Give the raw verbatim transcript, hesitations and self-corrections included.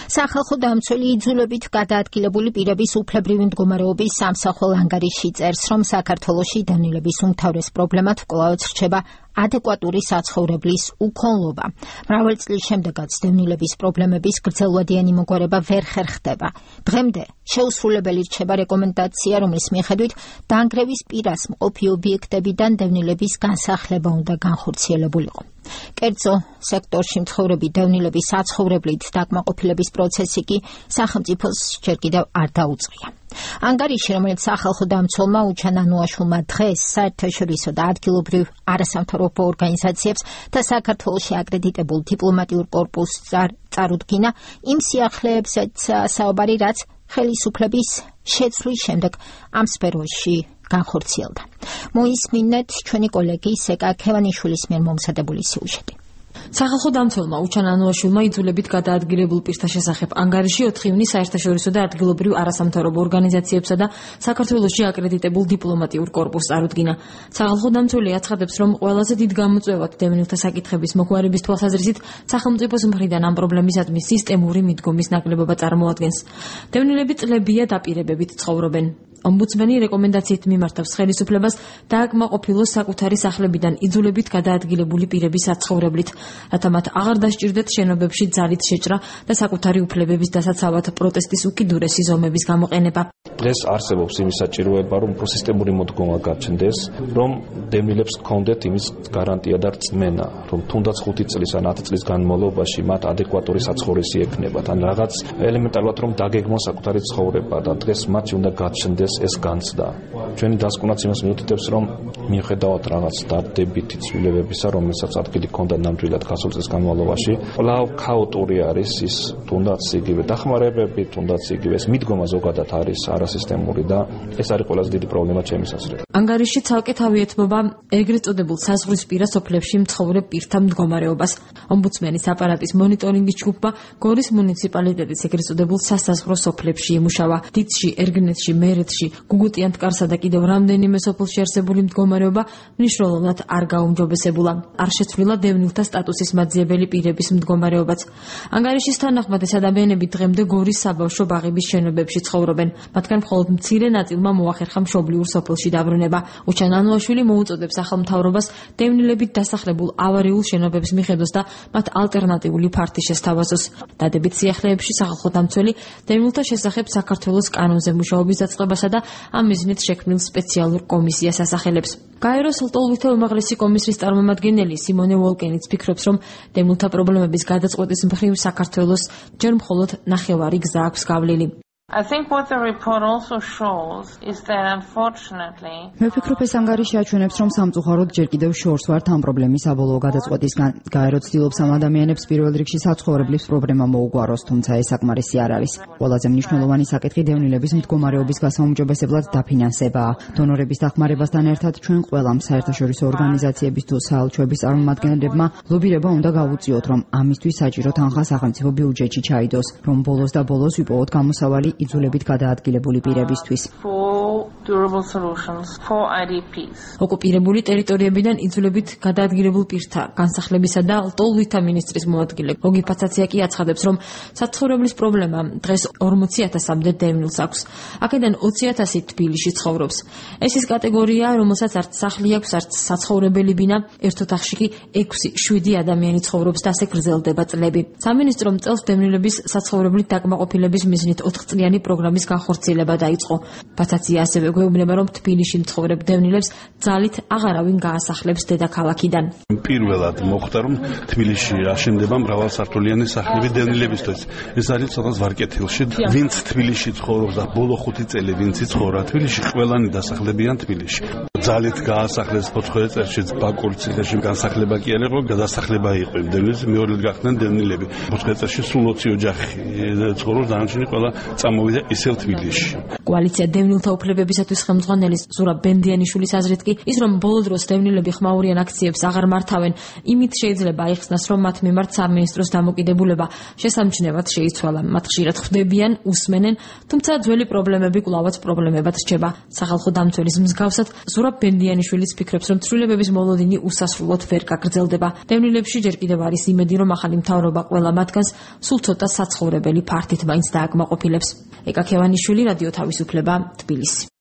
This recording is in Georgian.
სახალხო დამცველი იძულებით გადაადგილებული პირების უფლებრივი მდგომარეობის სამსახურ ანგარიში წერს, რომ საქართველოში დევნილების უმთავრეს პრობლემად კვლავ რჩება ადეკვატური საცხოვრებლის უქონლობა. მრავალი წლის შემდეგაც დევნილების პრობლემების გრძელვადიანი მოგვარება ვერ ხერხდება. დღემდე შეუსრულებელი რჩება რეკომენდაცია, რომლის მიხედვით დაანგრევის პირას მყოფი ობიექტებიდან დევნილების განსახლება უნდა განხორციელებულიყო. კერძო სექტორში მცხოვრები დევნილების საცხოვრებლით დაკმაყოფილების პროცესი კი სახელმწიფოს ჯერ კიდევ არ დაუწყია. ანგარიში, რომელიც სახალხო დამცველმა უჩან ანუაშვილმა დღეს საერთაშორისო და ადგილობრივ არასამთავრობო ორგანიზაციებს და საქართველოში აკრედიტებულ დიპლომატიურ კორპუსს წარუდგინა, იმ სიახლეებზეც საუბარი, რაც ხელისუფლების შეცვლის შემდეგ ამ სფეროში განხორციელდა. მოისმინეთ ჩვენი კოლეგი სეკა ქევანიშვილის მიერ მომზადებული სიუჟეტი. სახალხო დამცველმა უჩან ანუაშვილმა იძულებით გადაადგილებულ პირთა შესახებ ანგარიში ოთხი ივნის საერთაშორისო და ადგილობრივ არასამთავრობო ორგანიზაციებსა და საქართველოში აკრედიტებულ დიპლომატიურ კორპუსს წარუდგინა. სახალხო დამცველი აცხადებს, რომ ყველაზე დიდ გამოწვევად დევნილთა საკითხების მოგვარების თვალსაზრისით სახელმწიფოს მხრიდან ამ პრობლემისადმი სისტემური მიდგომის ნაკლებობა წარმოადგენს. დევნილები წლებია დაპირებებით ცხოვრობენ. ომბუდსმენი რეკომენდაციით მიმართავს ხელისუფლებას დააკმაყოფილოს საკუთარი სახლებიდან იძულებით გადაადგილებული პირების საცხოვრებლით, რათა მათ აღარ დასჭირდეთ შენობებში ძალით შეჭრა და საკუთარი უფლებების დასაცავად პროტესტის უკიდურესი ზომების გამოყენება. დღეს არსებობს იმის საჭიროება, რომ სისტემური მოდგომა გაჩნდეს, რომ დევნილებს ჰქონდეთ იმის გარანტია და რწმენა, რომ თუნდაც ხუთი წლის ან ათი წლის განმავლობაში მათ ადეკვატური საცხოვრისი ექნებათ, ან რაღაც ელემენტარულად რომ დაგეგმონ საკუთარი ცხოვრება და დღეს მათი უნდა გაჩნდეს ეს განცდა. ჩვენი დასკვნაც იმას მიუთითებს, რომ მიუხედავად რაღაც დადებითი ცვლილებებისა, რომელსაც ადგილი ჰქონდა ნამდვილად გასულ წლის განმავლობაში, კვლავ ქაოტური არის ის თუნდაც იგივე დახმარებები, თუნდაც იგივე ეს მიდგომა ზოგადად არის არასისტემური და ეს არის ყველაზე დიდი პრობლემა ჩემის აზრით. ანგარიში ცალკე თავი ეთმობა ეგრეთ წოდებულ საზღვრისპირა სოფლებში მცხოვრებ პირთა მდგომარეობას. ომბუდსმენის აპარატის მონიტორინგის ჯგუფმა გორის მუნიციპალიტეტის ეგრეთ წოდებულ სასაზღვრო სოფლებში იმუშავა. დიცში, ერგნეთში, მერეთში, გუგუტიან მტკარსა და კიდევ რამდენიმე სოფელში არსებული მდგომარეობა მნიშვნელოვნად არ გაუმჯობესებულა. არ შეცვლილა დევნილთა სტატუსის მაძიებელი პირების მდგომარეობაც. ანგარიშის თანახმად ეს ადამიანები დღემდე გორის საბავშვო ბაღების შენობებში ცხოვრობენ. მათგან მხოლოდ მცირე ნაწილმა მოახერხა მშობლიურ სოფელში დაბრუნება. უჩან ანუაშვილი მოუწოდებს ახალმთავრობას დევნილებით დასახლებულ ავარიულ შენობებს მიხედოს და მათ ალტერნატიული ფართი შესთავაზოს. დადებით სიახლეებში სახალხო დამცველი დევნილთა შესახებ საქართველოს კანონზე მუშაობის დაწყებასა და ამ მიზნით შექმნილ სპეციალურ კომისიას ასახელებს. გაეროს ლტოლვითი უმაღლესი კომისიის წარმომადგენელი სიმონე ვოლკენიც ფიქრობს, რომ დევნილთა პრობლემების გადაწყვეტის მხრივ საქართველოს ჯერ მხოლოდ ნახევარი გზა აქვს გავლილი. I think what the report also shows is that unfortunately მე ვფიქრობ, ეს ანგარიში აჩვენებს, რომ სამწუხაროდ ჯერ კიდევ შორს ვართ ამ პრობლემის საბოლოო გადაწყვეტისგან. გაერო ცდილობს ამ ადამიანებს პირველ რიგში საცხოვრებლის პრობლემა მოუგვაროს, თუმცა ეს საკმარისი არ არის. ყველაზე მნიშვნელოვანი საკითხი დევნილების მდგომარეობის გასაუმჯობესებლად დაფინანსებაა. დონორების დახმარებასთან ერთად ჩვენ ყველამ საერთაშორისო ორგანიზაციების თუ საელჩოების წარმომადგენლებმა ლობირება უნდა გავუწიოთ, რომ ამისთვის საჭირო თანხა სახელმწიფო ბიუჯეტში ჩაიდოს, რომ ბოლოს და ბოლოს ვიპოვოთ გამოსავალი იძულებით გადაადგილებული პირებისთვის. ოკუპირებული ტერიტორიებიდან იძულებით გადაადგილებულ პირთა განსახლებისა და ლტოლვითა მინისტრის მოადგილე გოგი ფაცაცია კი აცხადებს, რომ საცხოვრებლის პრობლემა დღეს ორმოცი ათასამდე დევნილს აქვს. აქედან ოცი ათასი თბილისში ცხოვრობს. ეს ის კატეგორია, რომელსაც არც სახლი აქვს, არც საცხოვრებელი ბინა, ერთ ოთახში კი ექვსი შვიდი ადამიანი ცხოვრობს და ასე გრძელდება წლები. სამინისტრომ წელს დევნილების საცხოვრებლით დაკმაყოფილების მიზნით ოთხ წლიანი პროგრამის განხორციელება დაიწყო. ფაცაცია ასევე გვეუბნება, რომ თბილისში მცხოვრებ დევნილებს ძალით აღარავინ გაასახლებს დედაქალაქიდან. პირველად მოხდა, რომ თბილისში აშენდება მრავალსართულიანი სახლები დევნილებისთვის. ეს არის ცოტა ვარკეთილში. ვინც თბილისში ცხოვრობს და ბოლო ხუთი წელი ვინც იცხოვრა თბილისში, ყველანი დასახლებიან თბილისში. ძალით გაასახლეს ოთხ წელში ბაკურ ციხეში განსახლება კი არ იყო, გადასახლება იყო. დევნილების მეორე გახდნენ დევნილები. ოთხ წელში სულ ოცი ოჯახი ცხოვრობს, დანარჩენი ყველა წამოვიდა ისევ თბილისში. კოალიცია დევნილთა უფლებებისა პროცესისათვის ხელმძღვანელი ზურაბ ბენდიანიშვილის აზრით კი ის რომ ბოლო დროს დევნილები ხმაურიან აქციებს აღარ მართავენ, იმით შეიძლება აიხსნას რომ მათ მიმართ სამინისტროს დამოკიდებულება შესამჩნევად შეიცვალა. მათ ხშირად ხვდებიან, უსმენენ, თუმცა ძველი პრობლემები კვლავაც პრობლემებად რჩება. სახალხო დამცველის მსგავსად ზურაბ ბენდიანიშვილიც ფიქრობს, რომ ცვლილებების მოლოდინი უსასრულოდ ვერ გაგრძელდება. დევნილებში ჯერ კიდევ არის იმედი, რომ ახალი მთავრობა ყველა მათგანს სულ ცოტა საცხოვრებელი ფართით მაინც დააკმაყოფილებს. ეკა ქევანიშვილი, რადიო თავისუფლება, თბილისი.